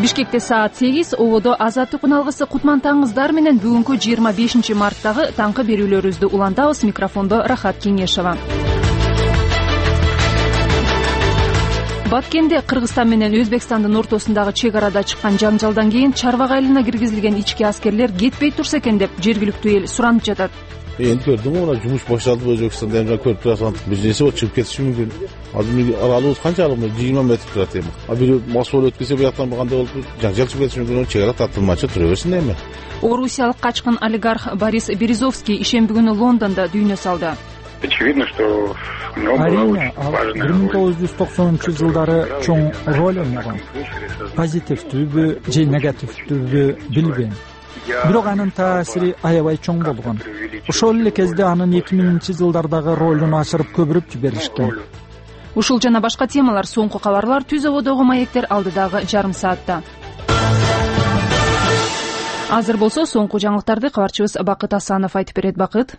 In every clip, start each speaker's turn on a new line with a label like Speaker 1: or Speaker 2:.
Speaker 1: Бишкекте саат 8 ободо Азаттык үналгысы кутмантаңыздар менен бүгүнкү 25 марттагы таңкы берүүлөрүбүздү улантабыз. Микрофондо Рахат Кеңешова. Баткенде Кыргызстан менен Өзбекстандын ортосундагы чек арада чыккан жаңжалдан кийин чарбак айылына киргизилген ички аскерлер кетпей турса экен деп жергиликтүү эл суранып жатат.
Speaker 2: Энд көрдүм, мына жумуш бошотулуп Өзбекстанда эмне көрүп турасың, бизнеси чыгып кетиши мүмкүн. Азыр аралыгыбыз канчалык, 20 метр турат эми. Бир мас болуп өткөсө бияктан кандай болуп жаңжал чыгып кетиши мүмкүн, чек ара тартылмачы тура берсин эми.
Speaker 1: Орусиялык качкын олигарх Борис Березовский ишемби күнү Лондондо дүйнө салды.
Speaker 3: Очевидно, что
Speaker 4: Арийне, 1990-жылдары чоң роль ойногон. Позитивдүүбү же негативдүүбү билбейм. Бирок анын таасири аябай чоң болгон. Ошол эле кезде анын 2000-жылдардагы ролун ашырып көбүрөп жиберишкен.
Speaker 1: Ушул жана башка темалар, соңку кабарлар Түз ободогу маектер алдыдагы жарым саатта. Азыр болсо соңку жаңылыктарды кабарчыбыз Бакыт Асанов айтып берет. Бакыт.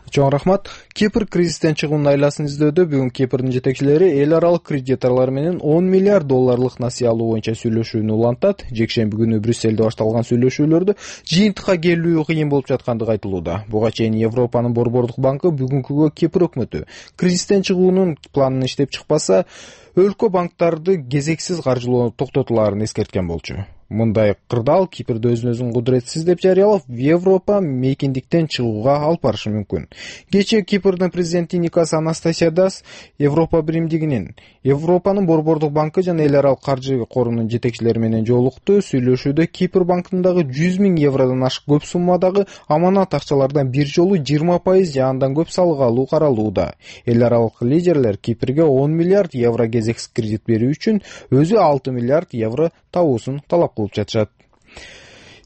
Speaker 5: Чоң рахмат. Кипр кризистен чыгуунун айласын издөөдө бүгүн Кипрдин жетекчилери эл аралык кредиторлор менен 10 миллиард долларлык насыя алуу боюнча сүйлөшүүнү улантат. Жекшемби күнү Брюсселде башталган сүйлөшүүлөрдө жыйынтыкка келүү кыйын болуп жаткандыгы айтылууда. Буга чейин Европанын Борбордук банкы бүгүнкүгө Кипр өкмөтү кризистен чыгуунун планын иштеп чыкпаса, өлкө банктарды кезексиз каржылоону токтотулаарын эскерткен болчу. Мындай кырдаал Кипрди өзүн кудуретсиз деп жарыялап, Европа мейкиндиктен чыгууга алып барышы мүмкүн. Кечээ Кипрдин президенти Никос Анастасиадас Европа биримдигинин, Европанын Борбордук банкы жана эл аралык каржы корунун жетекчилери менен жолукту. Сүйлөшүүдө Кипр банкындагы 100 000 евродон ашык көп суммадагы аманат акчалардан бир жолу 20% же андан көп салык алуу каралууда. Эл аралык лидерлер Кипрге 10 миллиард евро кезексиз кредит берүү үчүн өзү 6 миллиард евро табуусун талап кылып жатышат.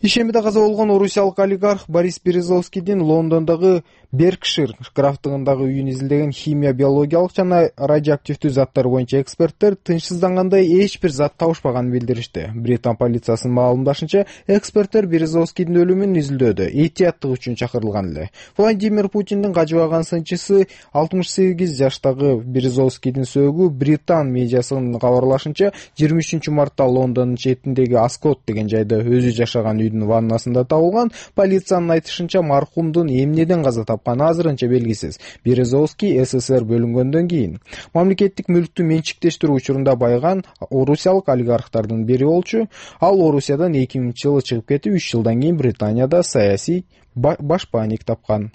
Speaker 5: Ишембиде каза болгон орусиялык олигарх Борис Березовскийдин Лондондогу Беркшир графтыгындагы үйүн изилдеген химия, биологиялык жана радиоактивдүү заттар боюнча эксперттер тынчсыздангандай эч бир зат табышпаганын билдиришти. Британ полициясынын маалымдашынча, эксперттер Березовскийдин өлүмүн изилдөөдө этияттык үчүн чакырылган эле. Владимир Путиндин кажыбаган сынчысы 68 жаштагы Березовскийдин сөөгү Британ медиасынын кабарлашынча 23-мартта Лондондун четиндеги Аскот деген жайда өзү жашаган үйдүн ваннасында табылган. Полициянын айтышынча, маркумдун эмнеден каза тапканы азырынча белгисиз. Березовский СССР бөлүнгөндөн кийин мамлекеттик мүлктү менчиктештирүү учурунда байган орусиялык олигархтардын бири болчу. Ал Орусиядан 2000-жылы чыгып кетип, 3 жылдан кийин Британияда саясий башпаник тапкан.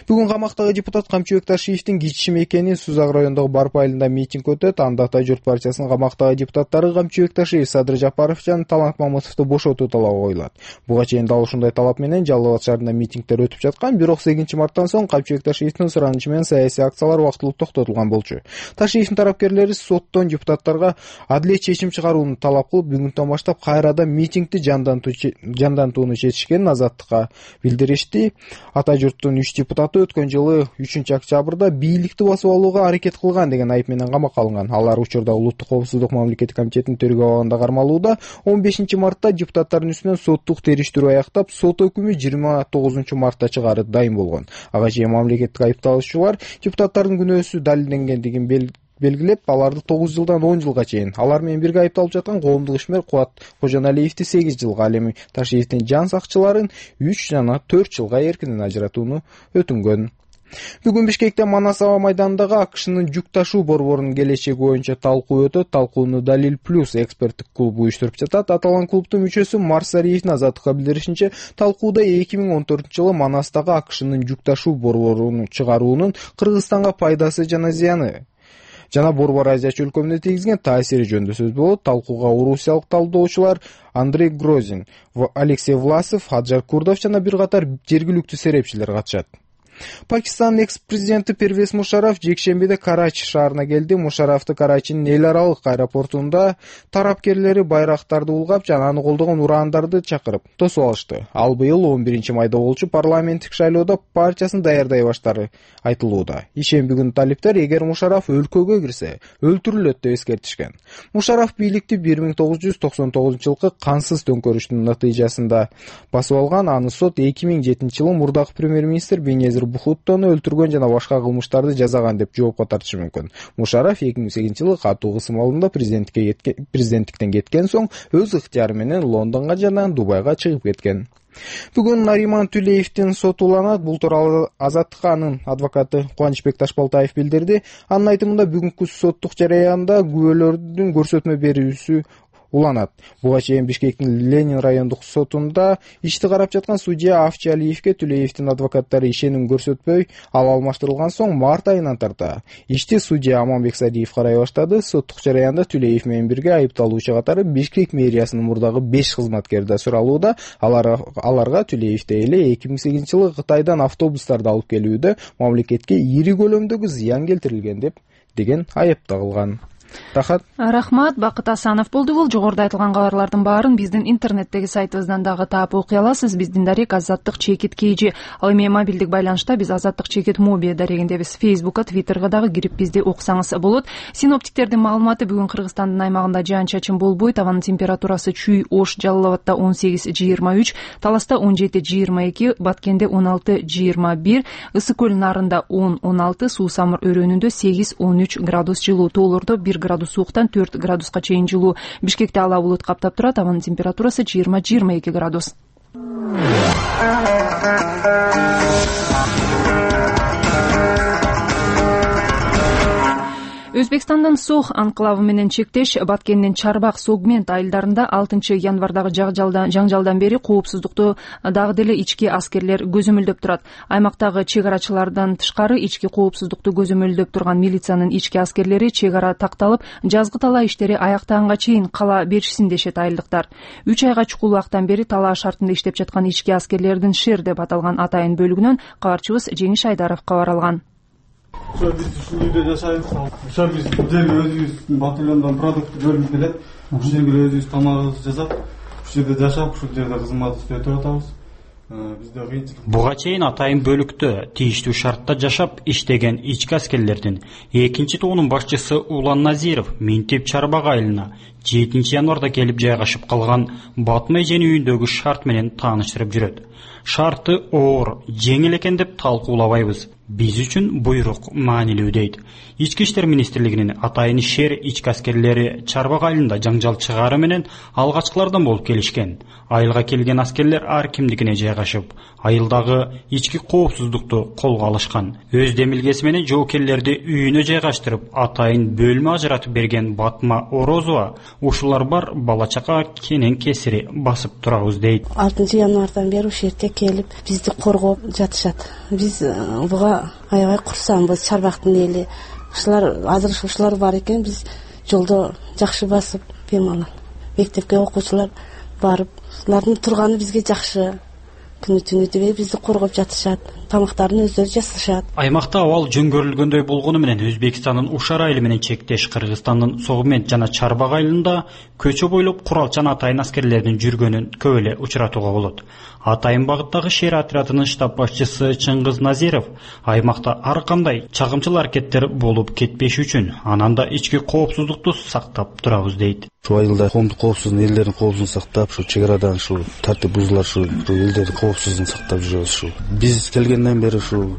Speaker 5: Бүгүн камактагы депутат Камчыбек Ташиевдин кичи мекени Сузак районундагы Барпы айылында митинг өтөт. Анда Ата журт партиясынын камактагы депутаттары Камчыбек Ташиев, Садыр Жапаров жана Талант Мамытовду бошотуу талабы коюлат. Буга чейин дал ушундай талап менен Жалал Абад шаарында митингдер өтүп жаткан, бирок 8-марттан соң Камчыбек Ташиевдин суранычы менен саясий акциялар вактылуу токтотулган болчу. Ташиевдин тарапкерлери соттон депутаттарга адилет чечим чыгарууну талап кылып, бүгүндөн баштап кайрадан митингди жандантууну чечишкенин Азаттыкка билдиришти. Ата журттун 3 депутаты өткөн жылы 3-октябрда бийликти басып алууга аракет кылган деген айып менен камакка алынган. Алар учурда Улуттук коопсуздук мамлекеттик комитетинин төрөгө абагында кармалууда. 15-мартта депутаттардын үстүнөн соттук териштирүү аяктап, сот өкүмү 29-мартта чыгарып дайын болгон. Ага чейин мамлекеттик айыпталуучулар депутаттардын күнөөсү далилденгендигин белгилеп, аларды 9 жылдан 10 жылга чейин, алар менен бирге айыпталып жаткан коомдук ишмер Кубат Кожоналиевди 8 жылга, ал эми Ташиевдин жан сакчыларын 3 жана 4 жылга эркинен ажыратууну өтүнгөн. Бүгүн Бишкекте Манас аба майданындагы АКШнын жүк ташуу борборунун келечеги боюнча талкуу өтөт. Талкууну Далил Плюс эксперттик клубу уюштуруп жатат. Аталган клубдун мүчөсү Марсариевдин Азаттыкка билдиришинче, талкууда 2014-жылы Манастагы АКШнын жүк ташуу борборун чыгаруунун Кыргызстанга пайдасы жана зыяны жана Борбор Азия өлкөмүнө тийгизген таасири жөнүндө сөз болот. Талкууга орусиялык талдоочулар Андрей Грозин, Алексей Власов, Хаджар Курдов жана бир катар жергиликтүү серепчилер катышат. Пакистанын экс-президенти Первез Мушараф жекшембиде Карачи шаарына келди. Мушарафты Карачинин эл аралык аэропортунда тарапкерлери байрактарды улгап жана аны колдогон урандарды чакырып тосуп алышты. Ал быйыл 11-майда болчу парламенттик шайлоодо партиясын даярдай баштары айтылууда. Ишемби күнү талиптер, эгер Мушараф өлкөгө кирсе, өлтүрүлөт деп эскертишкен. Мушараф бийликти 1999-жылкы кансыз төңкөрүштүн натыйжасында басып алган. Аны сот 2007-жылы мурдагы премьер-министр Бенезир Бухуттону өлтүргөн жана башка кылмыштарды жазаган деп жоопко тартышы мүмкүн. Мушараф 2008-жылы катуу кысым алымда президенттиктен кеткен соң өз ыктыяры менен Лондонго жана Дубайга чыгып кеткен. Бүгүн Нариман Тулеевдин соту уланат. Бул тууралуу Азаттыкка анын адвокаты Кубанычбек Ташбалтаев билдирди. Анын айтымында бүгүнкү соттук жараянда күбөлөрдүн көрсөтмө берүүсү уланат. Буга чейин Бишкектин Ленин райондук сотунда ишти карап жаткан судья Авчи Алиевке Тулеевдин адвокаттары ишеним көрсөтпөй ал алмаштырылган соң март айынан тарта. Ишти судья Аманбек Садиев карай баштады. Соттук жараянда Тулеев менен бирге айыпталуучу катары Бишкек мэриясынын мурдагы 5 кызматкери да суралууда. Аларга Тулеевде эле 2008-жылы Кытайдан автобустарды алып келүүдө мамлекетке ири көлөмдөгү зыян келтирилген деген айып тагылган.
Speaker 1: Рахмат, Бакыт Асанов болду бул. Жогоруда айтылган кабарлардын баарын биздин интернеттеги сайтыбыздан дагы таап окуй аласыз. Биздин дарек Азаттык чекит KG. Ал эми мобилдик байланышта биз Азаттык чекит моби дарегиндебиз. Facebook'ка, Twitter'га дагы кирип бизди окусаңыз болот. Синоптиктердин маалыматы бүгүн Кыргызстандын аймагында жаан-чачын болбойт. Абанын температурасы Чүй, Ош, Жалал Абадта 18-23, Таласта 17-22, Баткенде 16-21, Ысык көл нарында 10-16, Суу Самыр өрөөнүндө 8-13 градус жылуу, тоолордо 1 градус сууктан 4 градуска чейин жылуу. Бишкекте ала булут каптап турат. Абанын температурасы 20-22 градус. Өзбекстандын Сох анклавы менен чектеш Баткендин Чарбак сегмент айылдарында 6 январдагы жаңжалдан бери коопсуздукту дагы деле ички аскерлер көзөмөлдөп турат. Аймактагы чек арачылардан тышкары ички коопсуздукту көзөмөлдөп турган милициянын ички аскерлери чек ара такталып, жазгы талаа иштери аяктаганга чейин кала беришсин дешет айылдыктар. 3 айга чукул убактан бери талаа шартында иштеп жаткан ички аскерлердин ШЕР деп аталган атайын бөлүгүнөн кабарчыбыз Жеңиш Айдаров кабар алган.
Speaker 3: Биз ушул жерде жашайбыз. Ошо биз жерге өзүбүздүн батальондон продукт бөлүнүп келет. Ушул жерге өзүбүз тамагыбызды жасап, ушул жерде жашап, ушул жерде кызмат иштетип атабыз. Бизде кыйынчылык.
Speaker 6: Буга чейин атайын бөлүктө тийиштүү шартта жашап иштеген ички аскерлердин 2-тоонун башчысы Улан Назиров Минтип Чарбак айылына 7 январда келип жайгашып калган Батмай эженин үйүндөгү шарт менен тааныштырып жүрөт. Шарты оор, жеңил экен деп талкуулабайбыз. Биз үчүн буйрук маанилүү дейт. Ички иштер министрлигинин атайын ШЕР ички аскерлери Чарбак айылында жаңжал чыгаары менен алгачкылардан болуп келишкен. Айылга келген аскерлер ар кимдикине жайгашып, айылдагы ички коопсуздукту колго алышкан. Өз демилгеси менен жоокерлерди үйүнө жайгаштырып, атайын бөлмө ажыратып берген Батма Орозова ушулар бар бала чака кенен кесири басып турабыз дейт.
Speaker 7: 6 январдан бери ушул жерге келип бизди коргоп жатышат. Биз буга аябай курсанбыз. Чарбактын эли азыр ушулар бар экен, биз жолдо жакшы басып бемалал мектепке окуучулар барып, улардын турганы бизге жакшы. Күнү түнү дебей бизди коргоп жатышат. Тамактарын өздөрү жасашат.
Speaker 6: Аймакта абал жөнгөрүлгөндөй болгону менен Өзбекстандын Ушар айылы менен чектеш Кыргызстандын Согмент жана Чарбак айылында көчө бойлоп куралчан атайын аскерлердин жүргөнүн көп эле учуратууга болот. Атайын багыттагы ШЕР отрядынын штаб башчысы Чыңгыз Назиров аймакта ар кандай чагымчыл аракеттер болуп кетпеш үчүн анан да ички коопсуздукту сактап турабыз дейт.
Speaker 2: Ушул айылда коомдук коопсуздук, элдердин коопсуздугун сактап, ушу чек арадан ушул тартип бузуулар, ушул элдердин коопсуздугун сактап жүрөбүз. Ушул биз келгенден бери ушул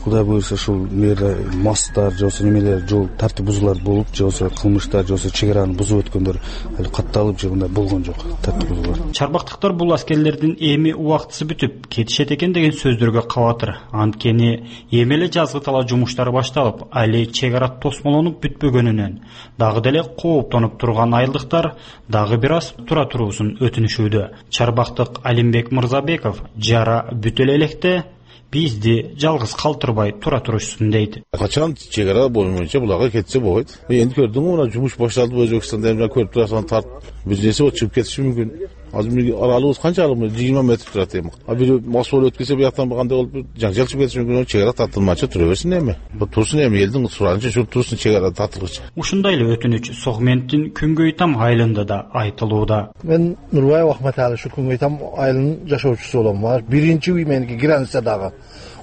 Speaker 2: Кудай буйрса ушул мэрде масстар, жосо немелер, жол тартип бузуулар болуп, жосо кылмыштар, жосо чек араны бузуп өткөндөр али катталып жагында болгон жок. Тартип бузуулар.
Speaker 6: Чарбактыктар бул аскерлердин эми убактысы бүтүп кетишет экен деген сөздөргө кабатыр. Анткени эми эле жазгы талаа жумуштары башталып, али чек ара тосмолонуп бүтпөгөнүнөн дагы деле кооптонуп турган айылдыктар дагы бир аз тура туруусун өтүнүшүүдө. Чарбактык Алимбек Мырзабеков жара бүтө электе бизди жалгыз калтырбай тура турушсун дейт.
Speaker 2: Качан чек ара боюнча буларга кетсе болот. Эми көрдүңү, мына жумуш башталды Өзбекстанда, эми көрүп турасың, тарт бизнеси чыгып кетиши мүмкүн. Азыр аралыгыбыз канчалык? 20 метр турат эми. Бир мас болуп өткөсө бияктан кандай болуп жаңжал чыгып кетиши мүмкүн. Чек ара тартылмачы тура берсин эми. Турсун эми элдин суранычы ушу турсун чек ара тартылгычы.
Speaker 6: Ушундай эле өтүнүч Согменттин Күнгөйтам айылында да айтылууда.
Speaker 8: Мен Нурбаев Ахматалы ушу Күнгөйтам айылынын жашоочусу болом. Биринчи үй меники границадагы.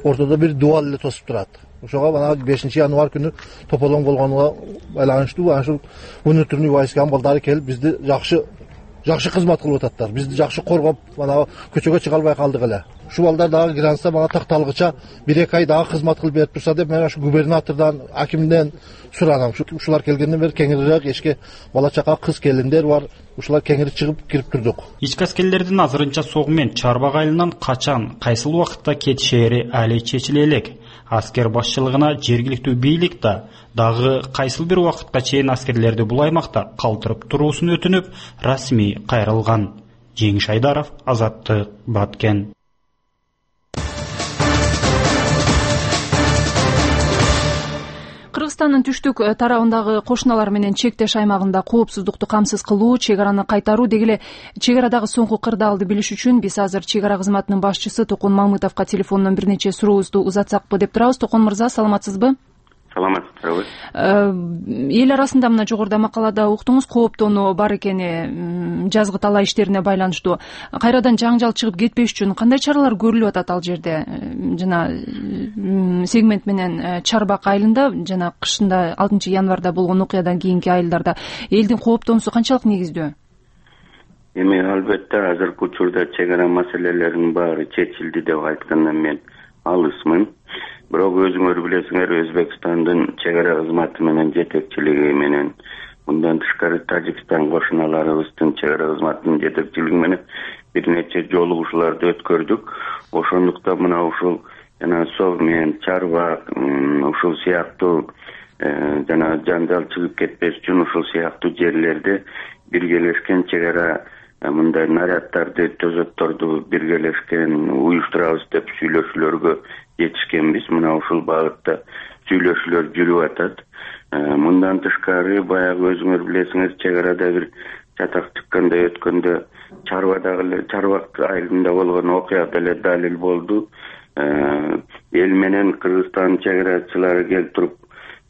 Speaker 8: Ортодо бир дуал эле тосуп турат. Ошого бана 5 январ күнү тополоң болгонуга байланыштуу ушул внутренний войсканын балдары келип бизди жакшы жакшы кызмат кылып ататтар. Бизди жакшы коргоп, мана көчөгө чыга албай калдык эле. Ушул балдар дагы гранста мага такталгыча 1-2 ай дагы кызмат кылып берип турса деп мен ушу губернатордон, акимден суранам. Ушулар келгенден бери кеңирээк эшикке бала чака, кыз келиндер бар. Ушулар кеңири чыгып кирип турдук.
Speaker 6: Ички аскерлердин азырынча согу менен Чарбак айылынан качан, кайсыл убакытта кетишери али чечиле элек. Аскер башчылыгына жергиликтүү бийлик да дагы кайсыл бир убакытка чейин аскерлерди бул аймакта калтырып туруусун өтүнүп, расмий кайрылган. Жеңиш Айдаров, Азаттык, Баткен.
Speaker 1: Кыргызстандын түштүк тарабындагы кошуналар менен чектеш аймагында коопсуздукту камсыз кылуу, чек араны кайтаруу деги эле чек арадагы соңку кырдаалды билиш үчүн биз азыр чек ара кызматынын башчысы Токон Мамытовго телефондон бир нече сурообузду узатсакпы деп турабыз. Токон мырза, саламатсызбы?
Speaker 9: Саламатсызбы.
Speaker 1: Эл арасында мына жогоруда макалада уктуңуз, кооптонуу бар экени жазгы талаа иштерине байланыштуу. Кайрадан жаңжал чыгып кетпеш үчүн кандай чаралар көрүлүп атат ал жерде? Жана сегмент менен Чарбак айылында жана кышында 6 январда болгон окуядан кийинки айылдарда элдин кооптонуусу канчалык негиздүү?
Speaker 9: Эми албетте азыркы учурда чек ара маселелеринин баары чечилди деп айткандан мен алысмын. Бирок өзүңөр билесиңер, Өзбекстандын чек ара кызматы менен жетекчилиги менен, мындан тышкары Тажикстан кошуналарыбыздын чек ара кызматынын жетекчилиги менен бир нече жолугушууларды өткөрдүк. Ошондуктан мына ушул жана Сов менен Чарбак ушул сыяктуу жана жаңжал чыгып кетпеш үчүн ушул сыяктуу жерлерде биргелешкен чек ара мындай наряддарды, төзөтторду биргелешкен уюштурабыз деп сүйлөшүүлөргө жетишкенбиз. Мына ушул багытта сүйлөшүүлөр жүрүп атат. Мындан тышкары баягы өзүңөр билесиңер, чек арада бир чатак чыккандай өткөндө Чарбак айылында болгон окуя деле далил болду. Эл менен Кыргызстан чек арачылары келип туруп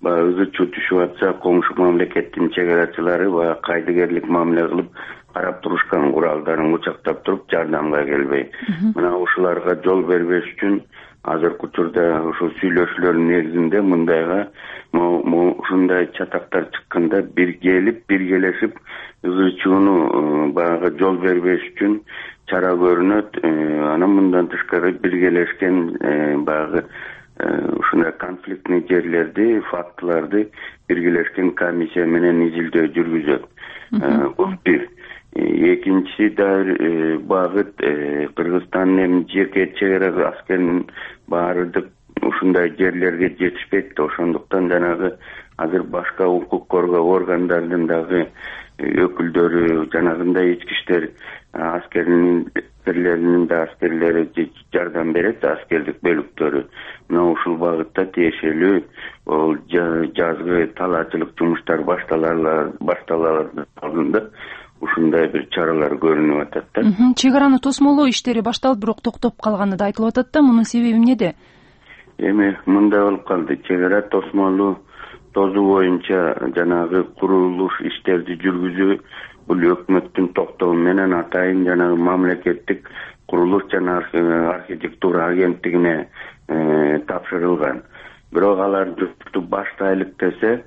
Speaker 9: ызы чуу түшүп атса, коңшу мамлекеттин чек арачылары кайдыгерлик мамиле кылып карап турушкан, куралдарын кучактап туруп жардамга келбей. Мына ушуларга жол бербеш үчүн азыркы учурда ушул сүйлөшүүлөрдүн негизинде мындайга ушундай чатактар чыкканда бир келип, биргелешип ызы чууну баягы жол бербеш үчүн чара көрүнөт. Анан мындан тышкары биргелешкен баягы ушундай конфликтный жерлерди, фактыларды биргелешкен комиссия менен изилдөө жүргүзөт. Бул бир. Экинчиси да багыт Кыргызстандын эми жеке чек ара аскеринин баардык ушундай жерлерге жетишпейт. Ошондуктан жанагы азыр башка укук коргоо органдардын дагы өкүлдөрү, жанагындай ички иштер аскерлеринин да аскерлери жардам берет, аскердик бөлүктөрү. Мына ушул багытта тиешелүү жазгы талаачылык жумуштар башталардын алдында ушундай бир чаралар көрүнүп атат да.
Speaker 1: Чек араны тосмолоо иштери башталып, бирок токтоп калганы да айтылып атат да. Мунун себеби эмнеде?
Speaker 9: Эми мындай болуп калды. Чек ара тосмолуу тозуу боюнча жанагы курулуш иштерди жүргүзүү бул өкмөттүн токтому менен атайын жанагы мамлекеттик курулуш жана архитектура агенттигине тапшырылган. Бирок алар жумушту баштайлык десе,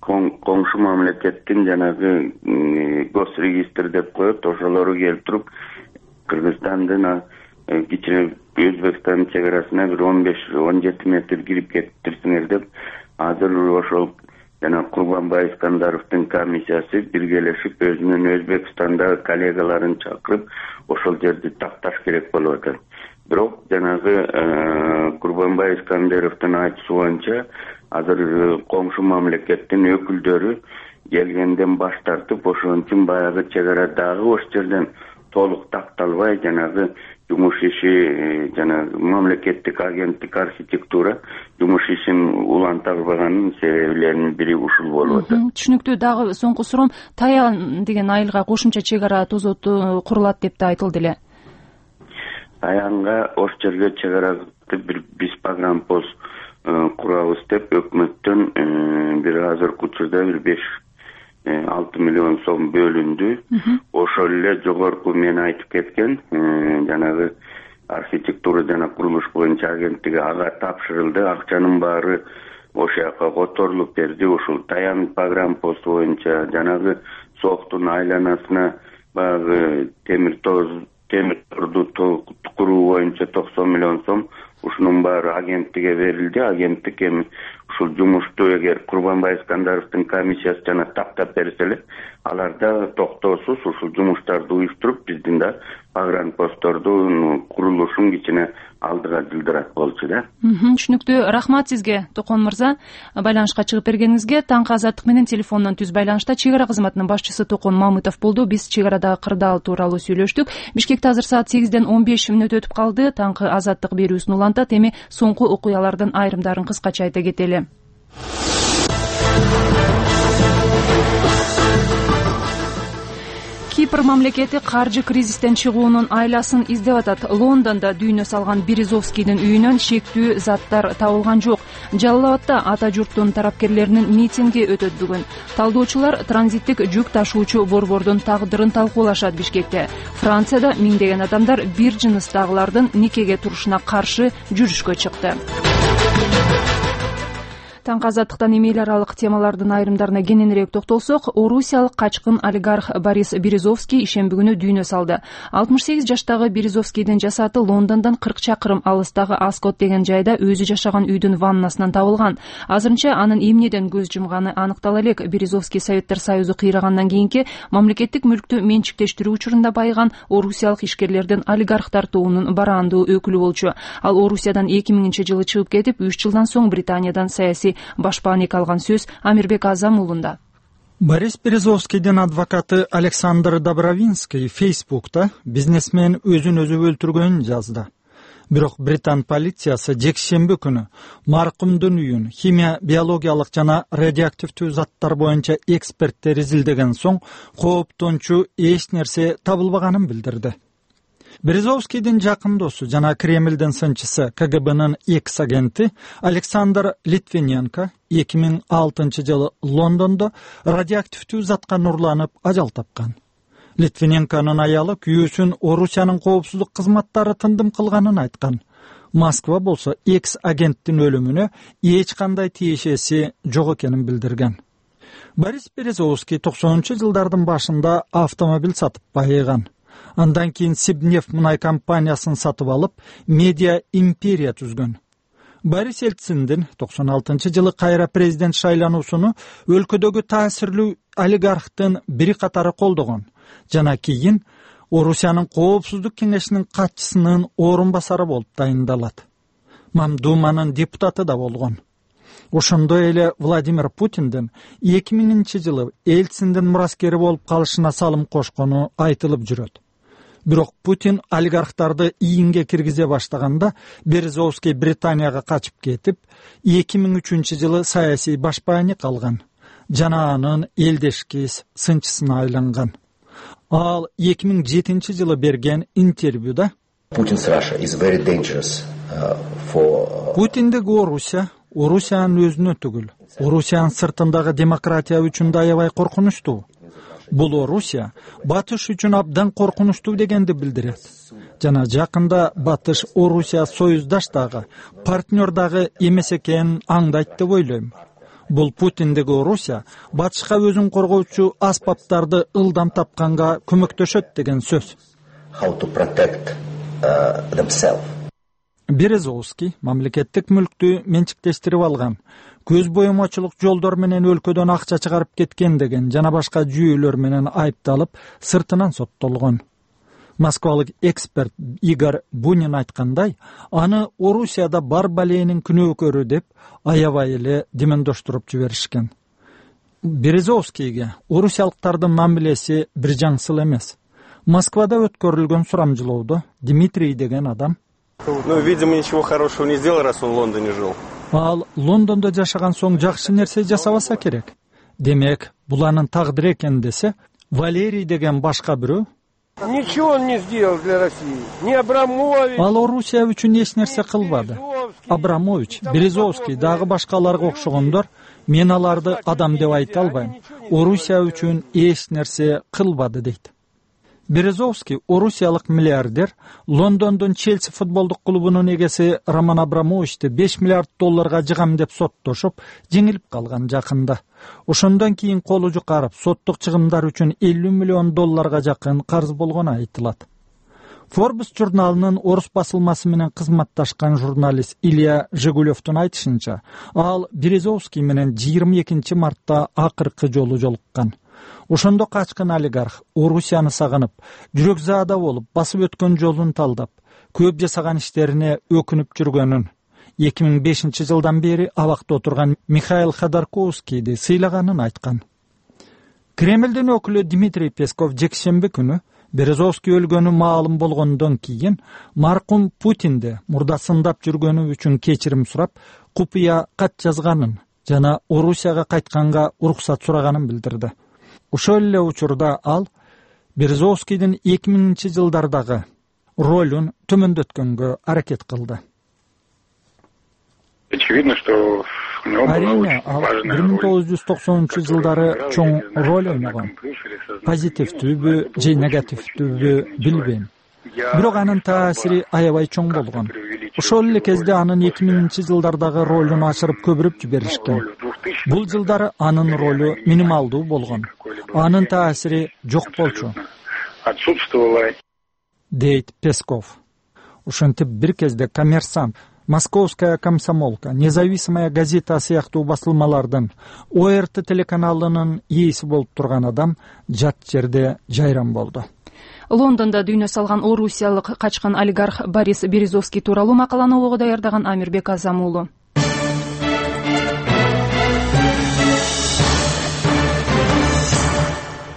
Speaker 9: коңшу мамлекеттин жанагы госрегистр деп коет, ошолору келип туруп Кыргызстандын кичине Өзбекстандын чек арасына бир 15-17 метр кирип кетиптирсиңер деп азыр ошол жана Курбанбай Искандаровдун комиссиясы биргелешип өзүнүн Өзбекстандагы коллегаларын чакырып ошол жерди такташ керек болуп атат. Бирок жанагы Курбанбай Искандаровдун айтуусу боюнча азыр коңшу мамлекеттин өкүлдөрү келгенден баш тартып, ошон үчүн баягы чек ара дагы ош жерден толук такталбай, жанагы жумуш иши жанагы мамлекеттик агенттик архитектура жумуш ишин улантабаганын себеплеринин бири ушул болуп атат.
Speaker 1: Түшүнүктүү. Дагы соңку суроом, Таян деген айылга кошумча чек ара тозоту курулат деп да айтылды эле.
Speaker 9: Таянга ош жерге чек ара бир биспагрампоз курабыз деп өкмөттөн бир азыркы учурда бир 5-6 миллион сом бөлүндү. Ошол эле жогорку мен айтып кеткен жанагы архитектура жана курулуш боюнча агенттиги ага тапшырылды. Акчанын баары ошол жака которулуп берди. Ушул Таян программасы боюнча жанагы сооктун айланасына баягы темир торду куруу боюнча 90 миллион сом ушунун баары агенттикке берилди. Агенттик эми ушул жумушту эгер Курманбай Искандаровдун комиссиясы жана тактап берсе эле, алар да токтоосуз ушул жумуштарды уюштуруп, биздин да погранпосттордун курулушун кичине алдыга жылдырат болчу да.
Speaker 1: Түшүнүктүү. Рахмат сизге, Токон мырза, байланышка чыгып бергениңизге. Таңкы азаттык менен телефондон түз байланышта чек ара кызматынын башчысы Токон Мамытов болду. Биз чек арадагы кырдаал тууралуу сүйлөштүк. Бишкекте азыр саат 8ден 15 мүнөт өтүп калды. Таңкы азаттык берүүсүн улантат. Эми соңку окуялардын айрымдарын кыскача айта кетели. Кипр мамлекети каржы кризистен чыгуунун айласын издеп атат. Лондондо дүйнө салган Березовскийдин үйүнөн шектүү заттар табылган жок. Жалал-Абадда ата журттун тарапкерлеринин митинги өтөт бүгүн. Талдоочулар транзиттик жүк ташуучу борбордун тагдырын талкуулашат Бишкекте. Францияда миңдеген адамдар бир жыныстагылардын никеге турушуна каршы жүрүшкө чыкты. Таңкы азаттыктан эми эл аралык темалардын айрымдарына кененирээк токтолсок, орусиялык качкын олигарх Борис Березовский ишемби күнү дүйнө салды. 68 жаштагы Березовскийдин жасаты Лондондон 40 чакырым алыстагы Аскот деген жайда өзү жашаган үйдүн ваннасынан табылган. Азырынча анын эмнеден көз жумганы аныктала элек. Березовский Советтер Союзу кыйрагандан кийинки мамлекеттик мүлктү менчиктештирүү учурунда байыган орусиялык ишкерлердин олигархтар тобунун бараандуу өкүлү болчу. Ал Орусиядан 2000-жылы чыгып кетип, 3 жылдан соң Британиядан саясий башпаанек алган сөз Амирбек Азам уулунда.
Speaker 4: Борис Березовскийдин адвокаты Александр Добровинский Фейсбукта бизнесмен өзүн өзү өлтүргөнүн жазды. Бирок Британ полициясы жекшемби күнү маркумдун үйүн химия, биологиялык жана радиоактивдүү заттар боюнча эксперттер изилдеген соң кооптончу эч нерсе табылбаганын билдирди. Березовскийдин жакын досу жана Кремлдин сынчысы КГБнын экс-агенти Александр Литвиненко 2006-жылы Лондондо радиоактивдүү затка нурланып ажал тапкан. Литвиненконун аялы күйөөсүн Орусиянын коопсуздук кызматтары тындым кылганын айткан. Москва болсо экс-агенттин өлүмүнө эч кандай тиешеси жок экенин билдирген. Борис Березовский 90-жылдардын башында автомобиль сатып байыган. Андан кийин Сибнефть мунай компаниясын сатып алып, медиа империя түзгөн. Борис Ельциндин 96-жылы кайра президент шайлануусуну өлкөдөгү таасирлүү олигархтын бири катары колдогон жана кийин Орусиянын коопсуздук кеңешинин катчысынын орун басары болуп дайындалат. Мамдуманын депутаты да болгон. Ошондой эле Владимир Путиндин 2000-жылы Ельциндин мураскери болуп калышына салым кошкону айтылып жүрөт. Бирок Путин олигархтарды ийинге киргизе баштаганда Березовский Британияга качып кетип, 2003-жылы саясий башпаанек алган жана анын элдешкис сынчысына айланган. Ал 2007-жылы берген интервьюда Путиндеги Орусиянын өзүнө түгүл, Орусиянын сыртындагы демократия үчүн да аябай коркунучтуу. Бул Орусия Батыш үчүн абдан коркунучтуу дегенди билдирет. Жана жакында Батыш Орусия союздаштагы, партнердагы эмес экенин аңдайт деп ойлойм. Бул Путиндеги Орусия Батышка өзүн коргоочу аспаптарды ылдам тапканга көмөктөшөт деген сөз. Березовский мамлекеттик мүлктү менчиктештирип алган, көз боюмачылык жолдор менен өлкөдөн акча чыгарып кеткен деген жана башка жүйөлөр менен айыпталып, сыртынан соттолгон. Москвалык эксперт Игорь Бунин айткандай, аны Орусияда бар баленин күнөөкөрү деп аябай эле демендоштуруп жиберишкен. Березовскийге орусиялыктардын мамилеси бир жаңсыл эмес. Москвада өткөрүлгөн сурамжылоодо Дмитрий деген адам
Speaker 10: видимо, ничего хорошего не сделал, раз он в Лондоне жил.
Speaker 4: Ал Лондондо жашаган соң жакшы нерсе жасабаса керек. Демек, бул анын тагдыры экен десе, Валерий деген башка бирөө
Speaker 10: Ничего он не сделал для России. Не Абрамович.
Speaker 4: Ал Орусия үчүн эч нерсе кылбады. Абрамович, Березовский дагы башкаларга окшогондор, мен аларды адам деп айта албайм. Орусия үчүн эч нерсе кылбады дейт. Березовский орусиялык миллиардер Лондондун Челси футболдук клубунун эгеси Роман Абрамовичти 5 миллиард долларга жыгам деп соттошуп, жеңилип калган жакында. Ошондон кийин колу жукарып, соттук чыгымдар үчүн 50 миллион долларга жакын карыз болгону айтылат. Forbes журналынын орус басылмасы менен кызматташкан журналист Илья Жигулевдун айтышынча, ал Березовский менен 22 мартта акыркы жолу жолуккан. Ошондо качкан олигарх Орусияны сагынып, жүрөкзаада болуп, басып өткөн жолун талдап, көп жасаган иштерине өкүнүп жүргөнүн, 2005 жылдан бери абакта отурган Михаил Ходорковскийди сыйлаганын айткан. Кремлдин өкүлү Дмитрий Песков жекшемби күнү Березовский өлгөнү маалым болгондон кийин маркум Путинди мурда сындап жүргөнү үчүн кечирим сурап, купуя кат жазганын жана Орусияга кайтканга уруксат сураганын билдирди. Ошол эле учурда ал Березовскийдин 2000 жылдардагы ролун төмөндөткөнгө аракет кылды.
Speaker 11: Очевидно, что
Speaker 4: Арийне, ал 1990 жылдары чоң роль ойногон. Позитивдүүбү же негативдүүбү билбейм. Бирок анын таасири аябай чоң болгон. Ошол эле кезде анын 2000 жылдардагы ролун ашырып көбүрөп жиберишкен. Бул жылдары анын ролу минималдуу болгон. Анын таасири жок болчу, дейт Песков. Ошентип бир кезде Коммерсант, Московская комсомолка, Независимая газета сыяктуу басылмалардын ОРТ телеканалынын ээси болуп турган адам жат жерде жайран болду.
Speaker 1: Лондондо дүйнө салган орусиялык качкан олигарх Борис Березовский тууралуу макаланы ого даярдаган Амирбек Азам уулу.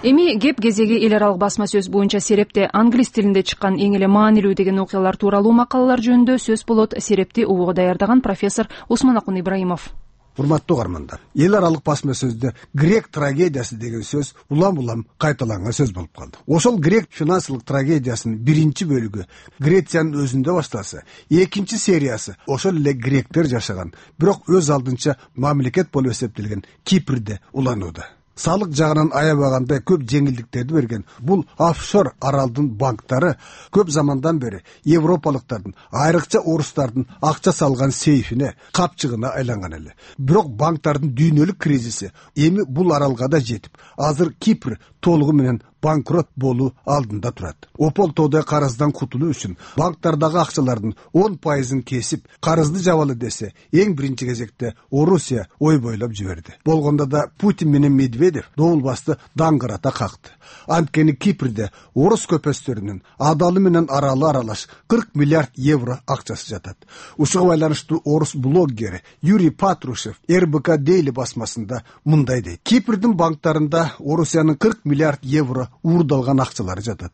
Speaker 1: Эми кеп кезеги эл аралык басма сөз боюнча Серепте англис тилинде чыккан эң эле маанилүү деген окуялар тууралуу макалалар жөнүндө сөз болот. Серепти угуга даярдаган профессор Усманакун Ибраимов.
Speaker 12: Урматтуу угармандар, эл аралык басма сөздө грек трагедиясы деген сөз улам-улам кайталанган сөз болуп калды. Ошол грек финансылык трагедиясынын биринчи бөлүгү Грециянын өзүндө башталса, экинчи сериясы ошол эле гректер жашаган, бирок өз алдынча мамлекет болуп эсептелген Кипрде уланууда. Салык жагынан аябагандай көп жеңилдиктерди берген бул офшор аралдын банктары көп замандан бери европалыктардын, айрыкча орустардын акча салган сейфине, капчыгына айланган эле. Бирок банктардын дүйнөлүк кризиси эми бул аралга да жетип, азыр Кипр толугу менен банкрот болуу алдында турат. Опол тоодой карыздан кутулуу үчүн банктардагы акчалардын 10%-ын кесип, карызды жабалы десе, эң биринчи кезекте Орусия ой бойлоп жиберди. Болгондо да Путин менен Медведев добулбасты даңгырата какты. Анткени Кипрде орус көпөстөрүнүн адалы менен аралы аралаш 40 миллиард евро акчасы жатат. Ушуга байланыштуу орус блоггери Юрий Патрушев РБК Дейли басмасында мындай дейт: Кипрдин банктарында Орусиянын 40 миллиард евро уурдалган акчалары жатат.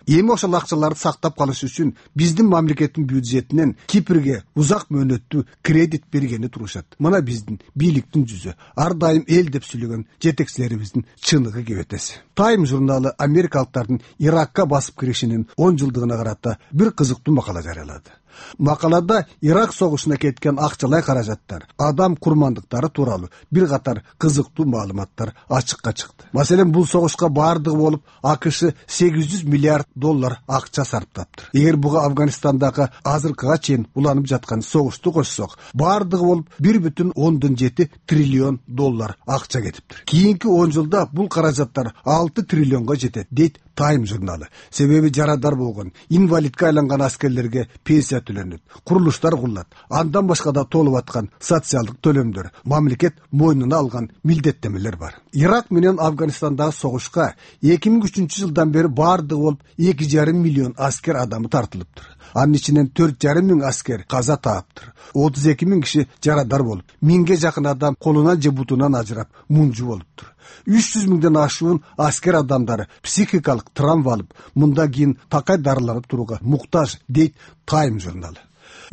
Speaker 12: Эми ошол акчаларды сактап калыш үчүн биздин мамлекеттин бюджетинен Кипрге узак мөөнөттүү кредит бергени турушат. Мына биздин бийликтин жүзү, ар дайым эл деп сүйлөгөн жетекчилерибиздин чыныгы кебетеси. Time журналы америкалыктардын Иракка басып киришинин 10 жылдыгына карата бир кызыктуу макала жарыялады. Макалада Ирак согушуна кеткен акчалай каражаттар, адам курмандыктары тууралуу бир катар кызыктуу маалыматтар ачыкка чыкты. Маселен, бул согушка баардыгы болуп АКШ 800 миллиард доллар акча сарптаптыр. Эгер буга Афганистандагы азыркыга чейин уланып жаткан согушту кошсок, баардыгы болуп 1,7 триллион доллар акча кетиптир. Кийинки 10 жылда бул каражаттар 6 триллионго жетет, дейт Time журналы. Себеби жарадар болгон, инвалидке айланган аскерлерге пенсия төлөнөт, курулуштар курулат, андан башка да толуп аткан социалдык төлөмдөр, мамлекет мойнуна алган милдеттемелер бар. Ирак менен Афганистандагы согушка 2003 жылдан бери баардыгы болуп 2,5 миллион аскер адамы тартылыптыр. Анын ичинен 4,5 миң аскер каза тааптыр. 32 миң киши жарадар болуп, 1000ге жакын адам колунан же бутунан ажырап, мунжу болуптур. 300 миңден ашуун аскер адамдары психикалык травма алып, мында кийин такай дарыланып турууга муктаж, дейт Time журналы.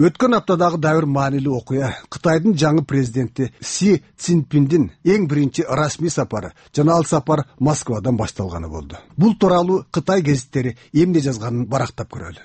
Speaker 12: Өткөн аптадагы дабыр маанилүү окуя Кытайдын жаңы президенти Си Цзиньпиндин эң биринчи расмий сапары жана ал сапар Москвадан башталганы болду. Бул тууралуу Кытай гезиттери эмне жазганын барактап көрөлү.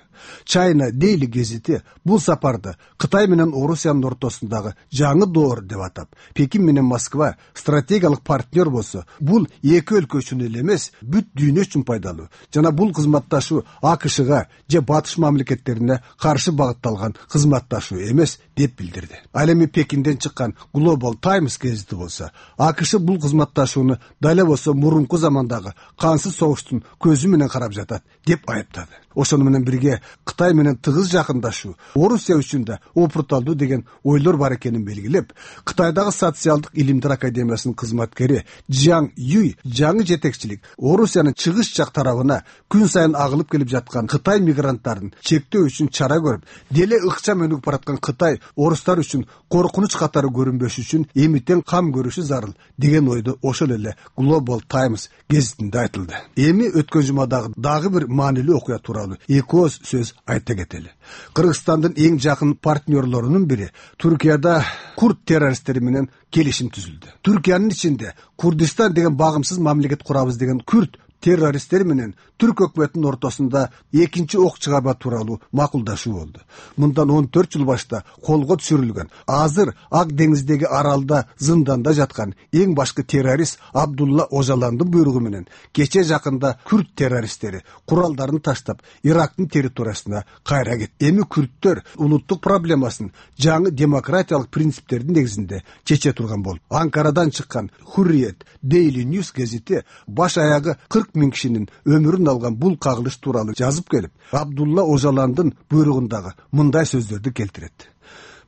Speaker 12: China Daily гезити бул сапарды Кытай менен Орусиянын ортосундагы жаңы доор деп атап, Пекин менен Москва стратегиялык партнер болсо, бул эки өлкө үчүн эле эмес, бүт дүйнө үчүн пайдалуу жана бул кызматташуу АКШга же батыш мамлекеттерине каршы багытталган кызматташуу эмес деп билдирди. Ал эми Пекинден чыккан Global Times гезити болсо, АКШ бул кызматташууну дал эле болсо мурунку замандагы кансыз согуштун көзү менен карап жатат деп айыптады. Ошону менен бирге Кытай менен тыгыз жакындашуу Орусия үчүн да опурталдуу деген ойлор бар экенин белгилеп, Кытайдагы социалдык илимдер академиясынын кызматкери Жан Юй жаңы жетекчилик Орусиянын чыгыш жак тарабына күн сайын агылып келип жаткан Кытай мигранттарын чектөө үчүн чара көрүп, деле ыкчам өнүгүп бараткан Кытай орустар үчүн коркунуч катары көрүнбөш үчүн эмитен кам көрүшү зарыл деген ойду ошол эле Global Times гезитинде айтылды. Эми өткөн жумадагы дагы бир маанилүү окуя тууралуу эки ооз сөз айта кетели. Кыргызстандын эң жакын партнерлорунун бири Түркияда курд террористтери менен келишим түзүлдү. Түркиянын ичинде Курдистан деген багымсыз мамлекет курабыз деген күрд террористтер менен Түрк өкмөтүнүн ортосунда экинчи ок чыгарма тууралуу макулдашуу болду. Мындан 14 жыл башта колго түшүрүлгөн, азыр Ак деңиздеги аралда зынданда жаткан эң башкы террорист Абдулла Ожаландын буйругу менен кече жакында күрд террористтери куралдарын таштап Ирактын территориясына кайра кетти. Эми күрдтөр улуттук проблемасын жаңы демократиялык принциптердин негизинде чече турган болуп, Анкарадан чыккан Hurriyet Daily News гезити баш аягы 40 000 кишинин өмүрүн алган бул кагылыш тууралуу жазып келип, Абдулла Ожаландын буйругундагы мындай сөздөрдү келтирет.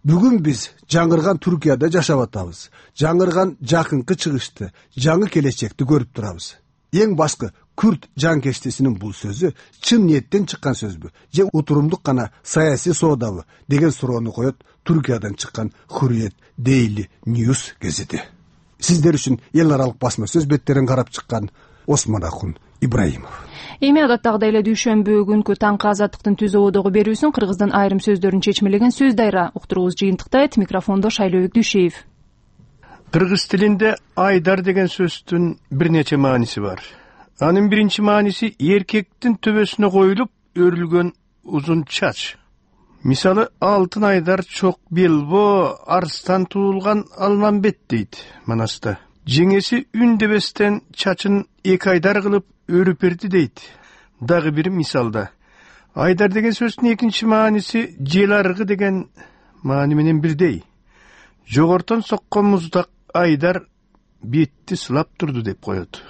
Speaker 12: Бүгүн биз жаңырган Түркияда жашап атабыз. Жаңырган жакынкы чыгышты, жаңы келечекти көрүп турабыз. Эң башкы күрд жанкештисинин бул сөзү чын ниеттен чыккан сөзбү же утурумдук гана саясий соодабы деген суроону коет Түркиядан чыккан Hurriyet Daily News гезити. Сиздер үчүн эл аралык басма сөз беттерин карап чыккан Осмонакун Ибраимов.
Speaker 1: Эми адаттагыдай эле дүйшөмбү күнкү таңкы азаттыктын түз ободогу берүүсүн кыргыздын айрым сөздөрүн чечмелеген сөз дайра уктуруубуз жыйынтыктайт. Микрофондо Шайлообек Дүйшеев.
Speaker 10: Кыргыз тилинде айдар деген сөздүн бир нече мааниси бар. Анын биринчи мааниси эркектин төбөсүнө коюлуп өрүлгөн узун чач. Мисалы, алтын айдар чок белбо, арстан туулган Алмамбет дейт Манаста. Жеңеси үндебестен чачын эки айдар кылып өрүп берди дейт. Дагы бир мисалда. Айдар деген сөздүн экинчи мааниси жел аргы деген маани менен бирдей. Жогортон соккон муздак айдар бетти сылап турду деп коет.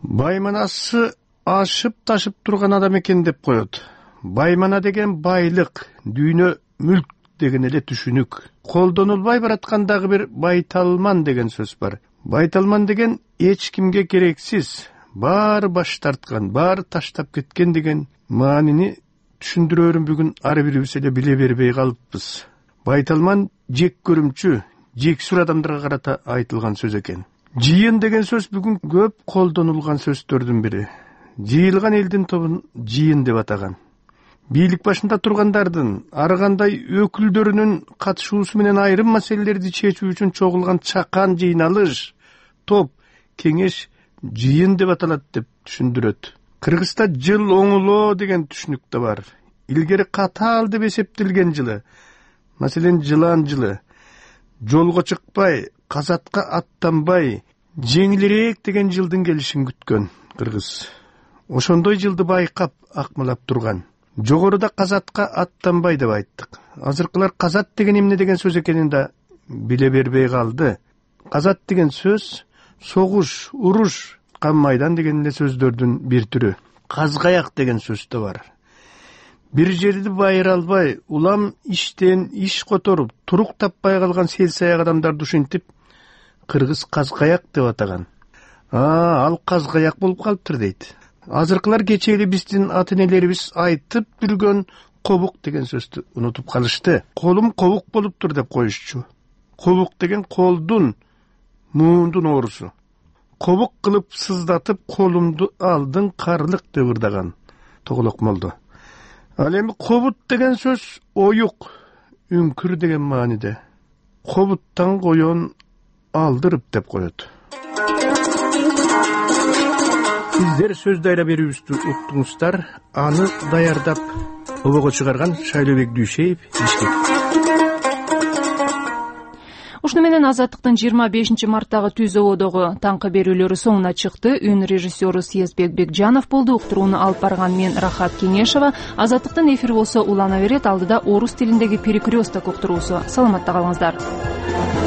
Speaker 10: Байманасы ашып ташып турган адам экен деп коет. Баймана деген байлык, дүйнө мүлк деген эле түшүнүк. Колдонулбай бараткандагы бир байталман деген сөз бар. Байталман деген эч кимге керексиз, баары баш тарткан, баары таштап кеткен деген маанини түшүндүрөөрүн бүгүн ар бирибиз эле биле бербей калыппыз. Байталман жек көрүмчү, жексүр адамдарга карата айтылган сөз экен. Жыйын деген сөз бүгүн көп колдонулган сөздөрдүн бири. Жыйылган элдин тобун жыйын деп атаган. Бийлик башында тургандардын ар кандай өкүлдөрүнүн катышуусу менен айрым маселелерди чечүү үчүн чогулган чакан жыйналыш, топ, кеңеш жыйын деп аталат деп түшүндүрөт. Кыргызда жыл оңулоо деген түшүнүк да бар. Илгери катаал деп эсептелген жылы, маселен жылаан жылы, жолго чыкпай, казатка аттанбай, жеңилирээк деген жылдын келишин күткөн кыргыз. Ошондой жылды байкап акмалап турган. Жогоруда казатка аттанбай деп айттык. Азыркылар казат деген эмне деген сөз экенин да биле бербей калды. Казат деген сөз согуш, уруш, кан майдан деген эле сөздөрдүн бир түрү. Казгаяк деген сөз да бар. Бир жерди байыра албай, улам иштен иш которуп, турук таппай калган сел-саяк адамдарды ушинтип кыргыз казгаяк деп атаган. Ал казгаяк болуп калыптыр дейт. Азыркылар кече эле биздин ата-энелерибиз айтып жүргөн кобук деген сөздү унутуп калышты. Колум кобук болуптур деп коюшчу. Кобук деген колдун, муундун оорусу. Кобук кылып сыздатып колумду алдың карлык деп ырдаган Тоголок молдо. Ал эми кобут деген сөз оюк, үңкүр деген мааниде. Кобуттан коен алдырып деп коет. Сиздер сөз дайра берүүбүздү уктуңуздар. Аны даярдап обого чыгарган Шайлообек Дүйшеев, Бишкек.
Speaker 1: Ушуну менен Азаттыктын 25-марттагы түз ободогу таңкы берүүлөрү соңуна чыкты. Үн режиссеру Съездбек Бекжанов болду. Уктурууну алып барган мен Рахат Кеңешова. Азаттыктын эфир болсо улана берет. Алдыда орус тилиндеги перекресток уктуруусу. Саламатта калыңыздар.